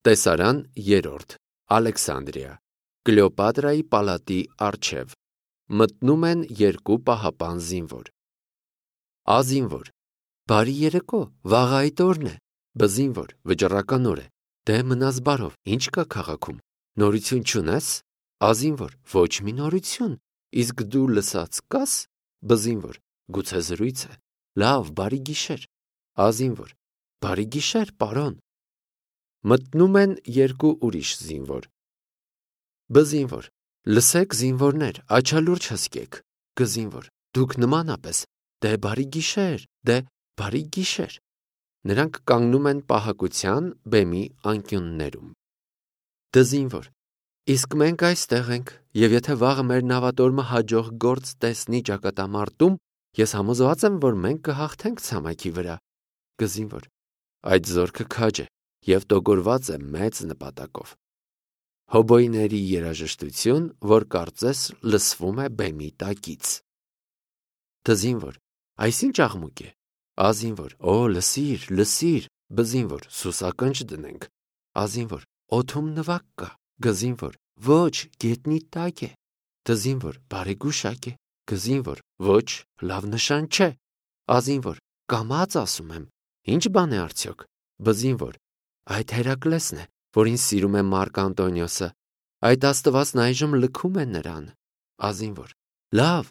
Տեսարան 3. Ալեքսանդրիա Կլեոպատրայի պալատի առջև մտնում են երկու պահապան զինվոր։ Ազինվոր. Բարի երեկո, վաղ այդ օրն է։ Բզինվոր, վճռական օր է։ Դե մնաս բարով, ինչ կա քաղաքում։ Նորություն չունես։ Ազինվոր. ոչ մի նորություն։ Իսկ դու լսած կաս։ Բզինվոր. գուցե զրույց է։ Լավ, բարի գիշեր։ Ազինվոր. բարի գիշեր, պարոն։ Մտնում են երկու ուրիշ զինվոր։ Բզինվոր. լսեք զինվորներ, աչալուրջ հսկեք։ Գզինվոր. դուք նմանապես։ Դե բարի գիշեր, դե բարի գիշեր։ Նրանք կանգնում են պահակության բեմի անկյուններում։ Դզինվոր. իսկ մենք այստեղ ենք, եւ եթե վաղը մեր նավատորմը հաջող գործ տեսնի ճակատամարտում, ես համոզված եմ, որ մենք կհաղթենք ցամաքի վրա։ Գզինվոր. այդ զորքը քաջ է եւ տոգորված է մեծ նպատակով։ Հոբոյների երաժշտություն, որ կարծես լսվում է բեմի տակից։ Դզինվոր. այսինչ աղմուկ է։ Ազինվոր. օ, լսիր, լսիր։ Բզինվոր. սուսակնչ դնենք։ Ազինվոր. օդում նվակ կա։ Գզինվոր. ոչ, գետնի տակ է։ Դզինվոր. բարեգուշակ է։ Գզինվոր. ոչ, լավ նշան չէ։ Ազինվոր. կամաց ասում եմ, ինչ բան է արդյոք։ Բզինվոր. այդ Հերակլեսն է, որին սիրում է Մարկ Անտոնիոսը։ Այդ աստվածն այժմ լքում է նրան։ Ազինվոր. լավ,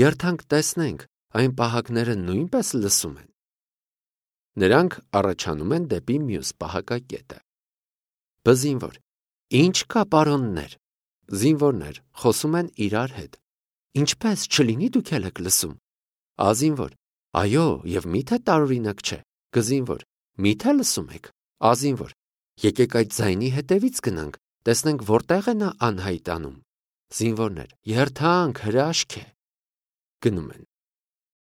երթանք տեսնենք, այն պահակները նույնպես լսում են։ Նրանք առաջանում են դեպի մյուս պահակակետը։ Բզինվոր. ինչ կա, պարոններ։ Զինվորներ խոսում են իրար հետ։ Ինչպես չլինի դուք էլ եք լսում։ Ազինվոր. այո, եւ միթե տարօրինակ չէ։ Գզինվոր. միթե լսում եք։ Ազինվոր. եկեք այդ ձայնի հետևից գնանք, տեսնենք որտեղ է նա անհայտանում։ Զինվորներ. երթանք, հրաշք է։ Գնում են։